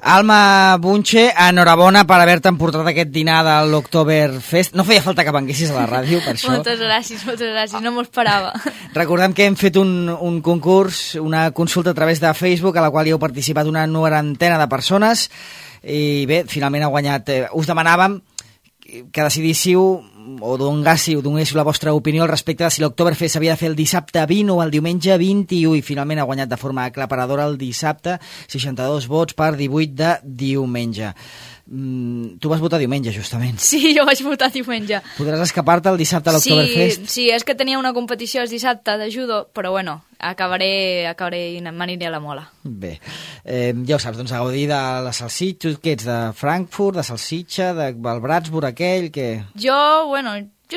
Alma Bunche, enhorabona per haver-te emportat aquest dinar de l'Oktoberfest. No feia falta que venguessis a la ràdio, per això. Moltes gràcies, no m'ho esperava. Recordem que hem fet un concurs, una consulta a través de Facebook, a la qual hi heu participat una 90 de persones, i bé, finalment ha guanyat. Us demanàvem que decidíssiu o donéssiu la vostra opinió al respecte de si l'Oktoberfest s'havia de fer el dissabte 20 o el diumenge 21, i finalment ha guanyat de forma aclaparadora el dissabte, 62 vots per 18 de diumenge. Tu vas votar diumenge, justament. Sí, jo vaig votar diumenge. Podràs escapar-te el dissabte a l'Oktoberfest? Sí, és que tenia una competició el dissabte de judo, però bueno, m'aniré a la mola. Bé, ja ho saps, doncs a gaudir de la salsitxa. Què ets, de Frankfurt, de salsitxa, del Bratsburg aquell, que... Jo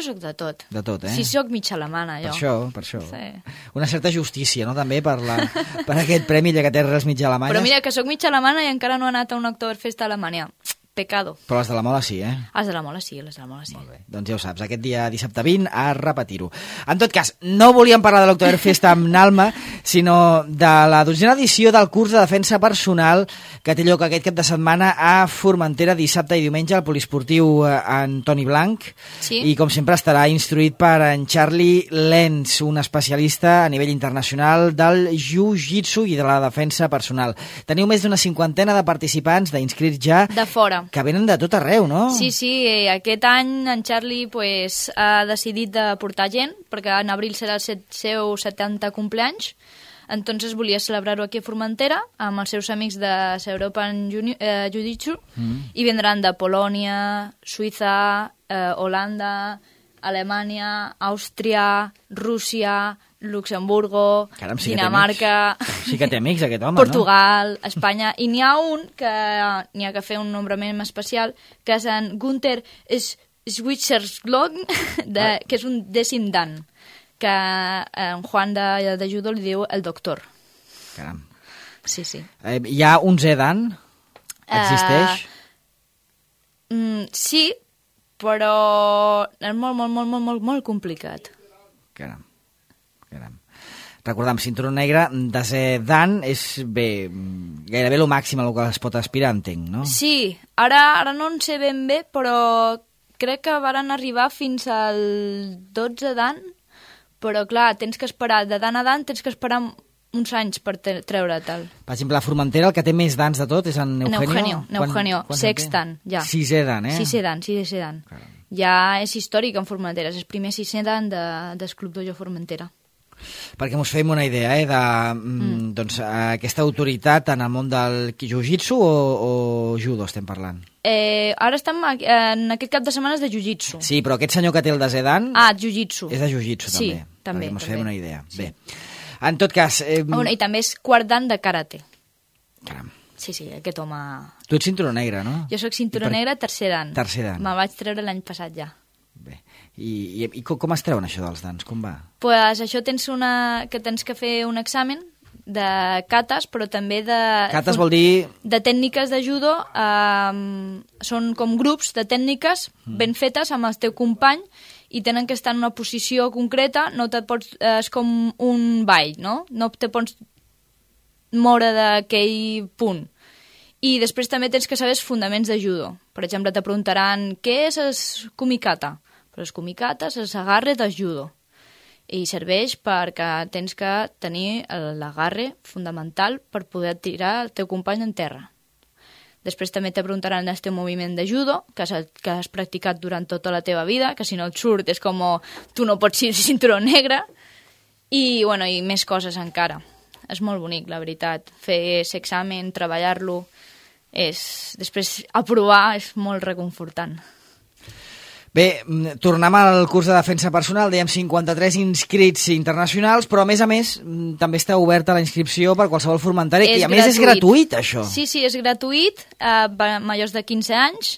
sóc de tot. De tot, Sí, sóc mitja alemana, jo. Per això. Sí. Una certa justícia, no?, també, per aquest premi, ja que té arrels mitja alemanyes. Però mira, que sóc mitja alemana i encara no he anat a un Oktoberfest a Alemanya. Pecado. Però les de la mola sí, eh? Les de la mola sí. Molt bé, doncs ja ho saps, aquest dia dissabte 20 a repetir-ho. En tot cas, no volíem parlar de l'Oktoberfest amb Nalma, sinó de la 12a edició del curs de defensa personal que té lloc aquest cap de setmana a Formentera, dissabte i diumenge, al poliesportiu Antoni Blanc. Sí. I com sempre estarà instruït per en Charlie Lenz, un especialista a nivell internacional del jiu-jitsu i de la defensa personal. Teniu més d'una 50 de participants, d'inscrits ja, de fora, que venen de tot arreu, no? Sí, aquest any en Charlie ha decidit de portar gent, perquè en abril serà el seu 70 cumpleaños, entonces volia celebrar-ho aquí a Formentera amb els seus amics de European Jiu-Jitsu, i vendran de Polònia, Suïssa, Holanda, Alemanya, Àustria, Rússia, Luxemburgo, Caram, sí Dinamarca... Sí que té amics, aquest home, Portugal, no? Espanya... I n'hi ha un que n'hi ha que fer un nombrament especial, que és en Gunther Schwitzerslog, que és un 10è dan, que en Juan de judo li diu el doctor. Caram. Sí. Hi ha un dan? Existeix? Sí, però és molt complicat. Caram. Recordem, cinturó negre, desè dan és gairebé el màxim a què es pot aspirar, entenc, no? Sí, ara no en sé ben bé, però crec que varen arribar fins al 12 dan, però clar, tens que esperar, de dan a dan, tens que esperar uns anys per treure-te'l. Per exemple, a Formentera, el que té més dans de tot és en Eugenio. Eugenio, sextant, ja. 6è dan, eh? 6è dan. Ja és històric en Formentera, és el primer 6è dan del Club Dojo Formentera. Perquè mos fem una idea, doncs, aquesta autoritat en el món del jiu-jitsu o judo estem parlant? Ara estem en aquest cap de setmana de jiu-jitsu. Sí, però aquest senyor que té el desè dan... jiu-jitsu. És de jiu-jitsu, també. Sí, també. Perquè mos fem una idea. Sí. Bé, en tot cas... I també és quart dan de karate. Caram. Sí, aquest home... Tu ets cinturó negre, no? Jo soc cinturó negre, tercer dan. Me vaig treure l'any passat ja. Bé. I com es treuen això dels dans? Com va? Pues això tens que fer un examen de katas, però també de... Katas vol dir... De tècniques de judo, són com grups de tècniques ben fetes amb el teu company i tenen que estar en una posició concreta, no te pots... És com un ball, no? No te pots moure d'aquell punt. I després també tens que saber els fonaments de judo. Per exemple, te preguntaran què és el kumikata? Però els kumikatas és l'agarre del judo. I serveix perquè tens que tenir l'agarre fundamental per poder tirar el teu company en terra. Després també te preguntaran el teu moviment de judo, que has practicat durant tota la teva vida, que si no et surt és com tu no pots ser cinturó negre. I més coses encara. És molt bonic, la veritat. Fer l'examen, treballar-lo, després aprovar és molt reconfortant. Bé, tornem al curs de defensa personal, dèiem 53 inscrits internacionals, però a més també està oberta la inscripció per qualsevol formentari, i a més és gratuït, això. Sí, és gratuït, majors de 15 anys,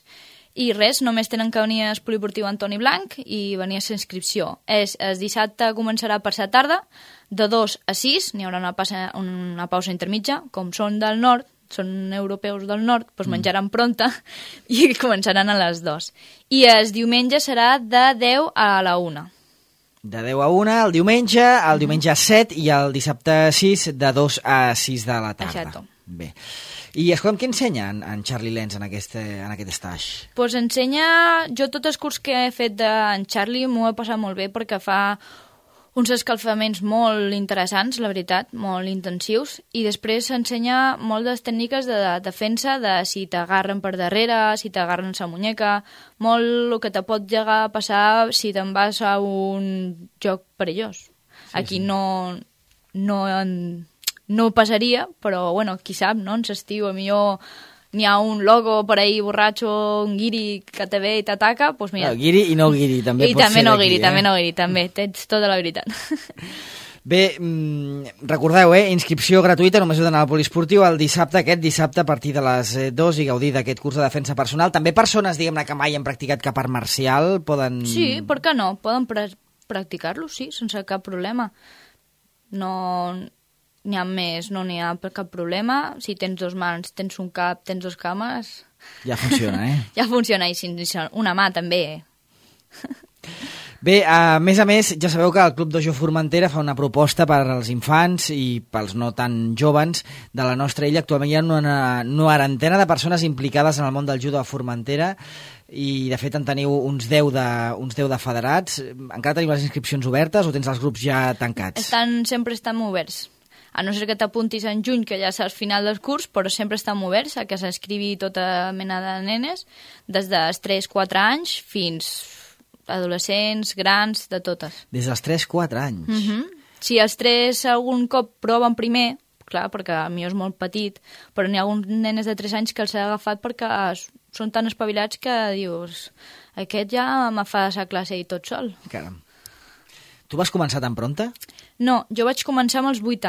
i res, només tenen que venir al poliportiu Antoni Blanc i venir a la inscripció. El dissabte començarà per la tarda, de 2 a 6, n'hi haurà una pausa intermitja, com són del nord, són europeus del nord, doncs menjaran pronta i començaran a les 2. I el diumenge serà de 10 a la 1. De 10 a 1 el diumenge 7 i el dissabte 6 de 2 a 6 de la tarda. Exacte. Bé. I escolta'm, què ensenya en Charlie Lenz en aquest stage? Pues ensenya... Jo tot el curs que he fet d'en Charlie m'ho he passat molt bé perquè fa uns escalfaments molt interessants, la veritat, molt intensius, i després s'ensenya moltes tècniques de defensa, de si t'agarren per darrere, si t'agarren la muñeca, molt el que te pot llegar a passar si te'n vas a un joc perillós. Aquí no passaria, però, bueno, qui sap, no? En l'estiu, millor n'hi ha un logo per ahí borratxo, un guiri que te ve i t'ataca, doncs mira. No, guiri i no guiri, també pot ser d'aquí. També no guiri, també, tens tota la veritat. Bé, recordeu, inscripció gratuïta, només heu d'anar al poliesportiu el dissabte, aquest dissabte a partir de les 2 i gaudir d'aquest curs de defensa personal. També persones, diguem-ne, que mai han practicat cap art marcial poden... Sí, per què no? Poden practicar-lo, sí, sense cap problema. No n'hi ha més, no n'hi ha cap problema. Si tens 2 mans, tens un cap, tens 2 cames... Ja funciona, Ja funciona, i si una mà també, Bé, a més, ja sabeu que el Club Dojo Formentera fa una proposta per als infants i pels no tan joves de la nostra illa. Actualment hi ha una 90 de persones implicades en el món del judo a Formentera i, de fet, en teniu uns 10 de federats. Encara teniu les inscripcions obertes o tens els grups ja tancats? Sempre estan oberts. A no ser que t'apuntis en juny, que ja saps final del curs, però sempre estan oberts a que s'inscrivi tota mena de nenes, des dels 3-4 anys fins adolescents, grans, de totes. Des dels 3-4 anys? Si els 3 algun cop proven primer, clar, perquè a mi és molt petit, però n'hi ha alguns nenes de 3 anys que els he agafat perquè són tan espavilats que dius, aquest ja me fa la classe i tot sol. Caram. Tu vas començar tan pronta? No, jo vaig començar amb els 8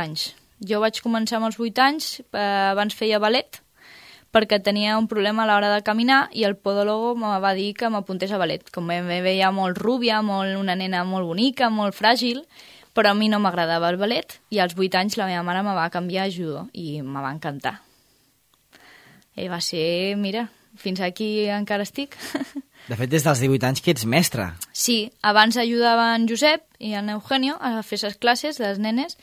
anys. Abans feia ballet, perquè tenia un problema a l'hora de caminar i el podòlogo me va dir que m'apuntés a ballet. Com me veia molt rúbia, una nena molt bonica, molt fràgil, però a mi no m'agradava el ballet i als 8 anys la meva mare me va canviar a judo i me va encantar. I va ser, mira, fins aquí encara estic. De fet, des dels 18 anys que ets mestra. Sí, abans ajudava en Josep i en Eugenio a fer les classes de les nenes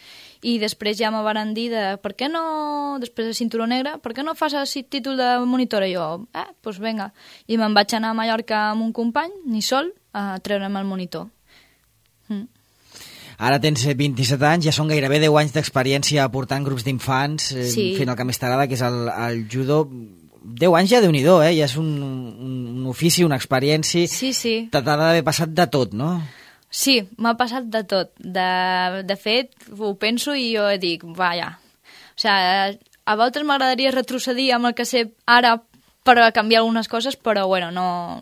i després ja me van dir per què no, després de cinturó negre, per què no fas el títol de monitora? I jo, doncs vinga. I me'n vaig anar a Mallorca amb un company, ni sol, a treure'm el monitor. Ara tens 27 anys, ja són gairebé 10 anys d'experiència portant grups d'infants, fent el que més t'agrada, que és el judo. 10 anys ja, Déu-n'hi-do, ja és un ofici, una experiència. Sí. T'ha d'haver passat de tot, no? Sí, m'ha passat de tot. De fet, ho penso i jo dic, vaja. O sigui, a voltes m'agradaria retrocedir amb el que sé ara per canviar algunes coses, però bueno, no...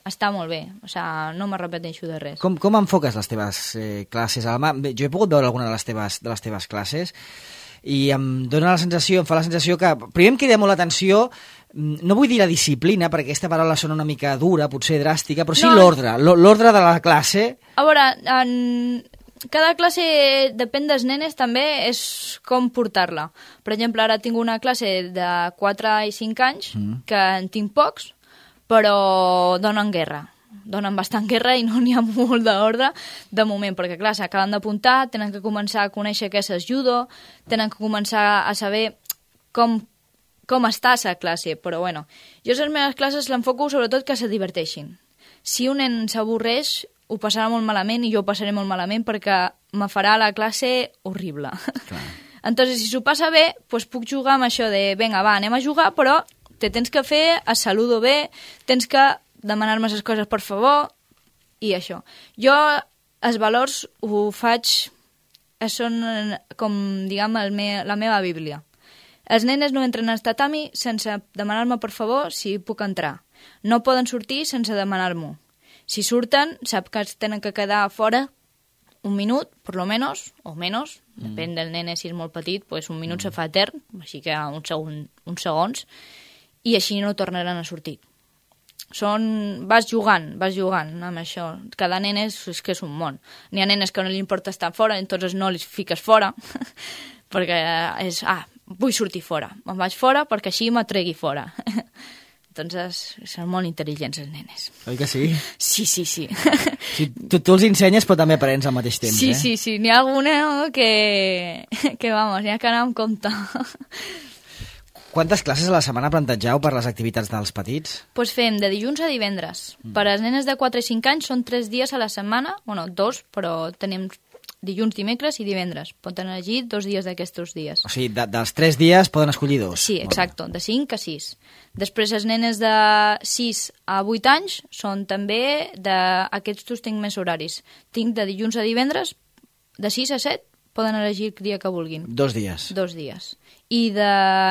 Està molt bé, o sigui, no m'arrepenteixo de res. Com enfoques les teves classes, Alma? Jo he pogut veure alguna de les teves classes i em fa la sensació que... Primer em crida molt l'atenció, no vull dir la disciplina, perquè aquesta paraula sona una mica dura, potser dràstica, però sí l'ordre de la classe. A veure, cada classe, depèn dels nenes, també és com portar-la. Per exemple, ara tinc una classe de 4 i 5 anys, que en tinc pocs, però donen guerra. Donen bastant guerra i no n'hi ha molt d'ordre de moment, perquè clar, s'acaben d'apuntar, tenen que començar a conèixer què és el judo, tenen que començar a saber com està la classe, però bueno, jo les meves classes l'enfoco sobretot que se diverteixin. Si un nen s'avorreix, ho passarà molt malament i jo ho passaré molt malament perquè me farà la classe horrible. Clar. Entonces, si s'ho passa bé, doncs puc jugar amb això de, vinga, va, anem a jugar, però te tens que fer, es saludo bé, tens que demanar-me les coses per favor, i això. Jo, els valors ho faig, són com, diguem, la meva bíblia. Els nenes no entren al tatami sense demanar-me per favor si puc entrar. No poden sortir sense demanar-m'ho. Si surten, sap que es tenen que quedar fora un minut, per lo menos, o menos, depèn del nene, si és molt petit, doncs un minut se fa etern, així que uns segons, i així no tornaran a sortir. Vas jugant amb això. Cada nen és que és un món. N'hi ha nenes que no li importa estar fora, entonces no li fiques fora, perquè és, vull sortir fora. Me'n vaig fora perquè així m'atregui fora. Entonces, són molt intel·ligents els nenes. Oi que sí? Sí. Sí, tu els ensenyes però també aprens al mateix temps, Sí. N'hi ha alguna que vamos, n'hi ha que anar amb compte. Quantes classes a la setmana plantegeu per les activitats dels petits? Doncs fem de dilluns a divendres. Per a les nenes de 4 i 5 anys són 3 dies a la setmana, bueno, 2, però tenim dilluns, dimecres i divendres. Poden elegir 2 dies d'aquests dies. O sigui, dels 3 dies poden escollir 2. Sí, exacte, de 5 a 6. Després les nenes de 6 a 8 anys són també d'aquests tinc més horaris. Tinc de dilluns a divendres, de 6 a 7, poden elegir el dia que vulguin. 2 dies. 2 dies. I de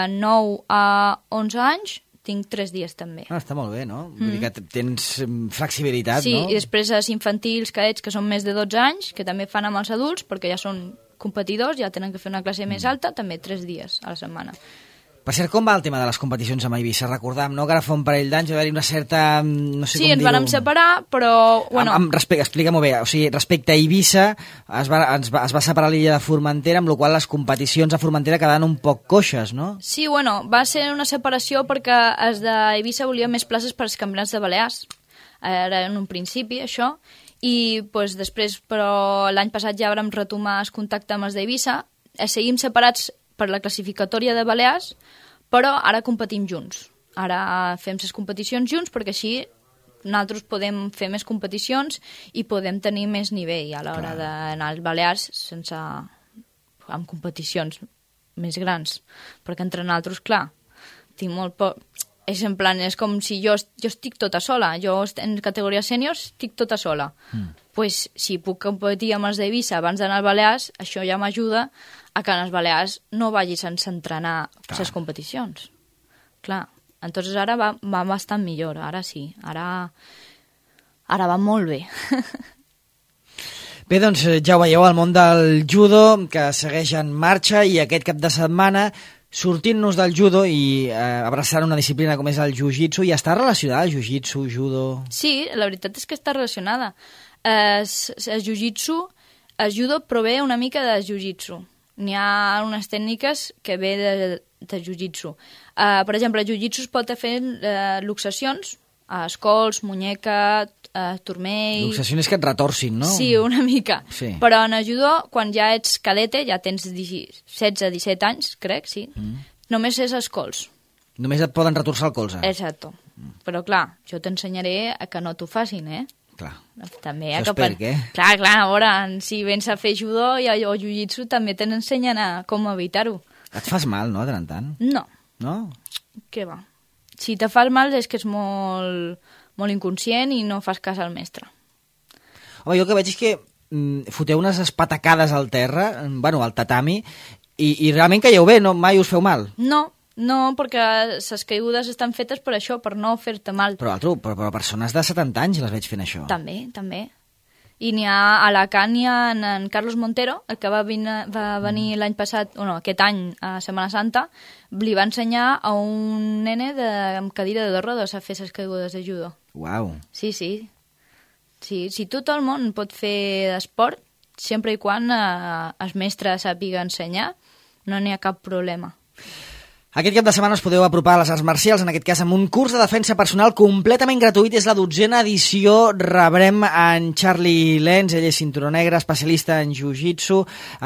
9 a 11 anys tinc 3 dies també. Està molt bé, no? Vull dir que tens flexibilitat, sí, no? Sí, i després els infantils, cadets, que són més de 12 anys, que també fan amb els adults, perquè ja són competidors, ja tenen que fer una classe més alta, també 3 dies a la setmana. Per cert, com va el tema de les competicions amb Eivissa? Recordam, no?, que ara fa un parell d'anys va haver-hi una certa... no sé sí, com dir-ho. ens vam separar, però... Bueno... Explica-m'ho bé. O sigui, respecte a Eivissa, es va separar l'illa de Formentera, amb la qual cosa les competicions a Formentera quedaven un poc coixes, no? Sí, bueno, va ser una separació perquè els d'Eivissa volien més places per als campionats de Balears. Era en un principi, això. I pues, després, però l'any passat ja vam retomar el contacte amb els d'Eivissa. Seguim separats per la classificatòria de Balears, però ara competim junts. Ara fem les competicions junts perquè així nosaltres podem fer més competicions i podem tenir més nivell a l'hora d'anar als Balears sense... amb competicions més grans. Perquè entre nosaltres, clar, tinc molt poc... És en plan, és com si jo estic tota sola. Jo en categoria sèniors estic tota sola. Pues, si puc competir amb els d'Eivissa abans d'anar als Balears, això ja m'ajuda a que en els Balears no vagis sense entrenar les competicions. Clar, entonces ara va bastant millor, ara sí. Ara va molt bé. Bé, doncs ja ho veieu, el món del judo, que segueix en marxa, i aquest cap de setmana, sortint-nos del judo i abraçant una disciplina com és el jiu-jitsu, i està relacionada el jiu-jitsu, judo... Sí, la veritat és que està relacionada. El jiu-jitsu, el judo prové una mica del jiu-jitsu. N'hi ha unes tècniques que ve de jiu-jitsu. Per exemple, el jiu-jitsu es pot fer luxacions, escols, muñeca, turmell... Luxacions és que et retorcin, no? Sí, una mica. Sí. Però en el judo, quan ja ets cadete, ja tens 16-17 anys, crec, sí, només és escols. Només et poden retorçar el colze. Exacto. Però clar, jo t'ensenyaré a que no t'ho facin, Clar. També això és per què? Clar, a veure, si vens a fer judo o jiu-jitsu també t'ensenyen a com evitar-ho. Et fas mal, no, de tant en tant? No. No? Què va? Si te fas mal és que és molt, molt inconscient i no fas cas al mestre. Home, jo el que veig és que foteu unes espatacades al terra, bueno, al tatami, i realment caieu bé, no? Mai us feu mal? No, perquè les caigudes estan fetes per això, per no fer-te mal. Però persones de 70 anys les veig fent això. També. I n'hi ha a Alacant, hi ha en Carlos Montero, el que va venir l'any passat, aquest any, a Setmana Santa, li va ensenyar a un nene amb cadira de 2 rodes a fer les caigudes de judo. Uau. Sí. Si tot el món pot fer esport, sempre i quan el mestre sàpiga ensenyar, no n'hi ha cap problema. Aquest cap de setmana us podeu apropar a les arts marcials, en aquest cas amb un curs de defensa personal completament gratuït. És la 12a edició. Rebrem en Charlie Lenz, ell és cinturó negre, especialista en jiu-jitsu.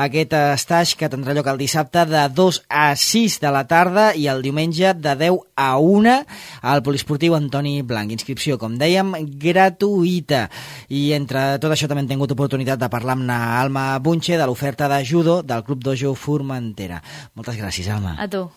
Aquest estatge que tindrà lloc el dissabte de 2 a 6 de la tarda i el diumenge de 10 a 1 al poliesportiu Antoni Blanc. Inscripció, com dèiem, gratuïta. I entre tot això també hem tingut oportunitat de parlar amb Alma Bunche de l'oferta de judo del Club Dojo Formentera. Moltes gràcies, Alma. A tu.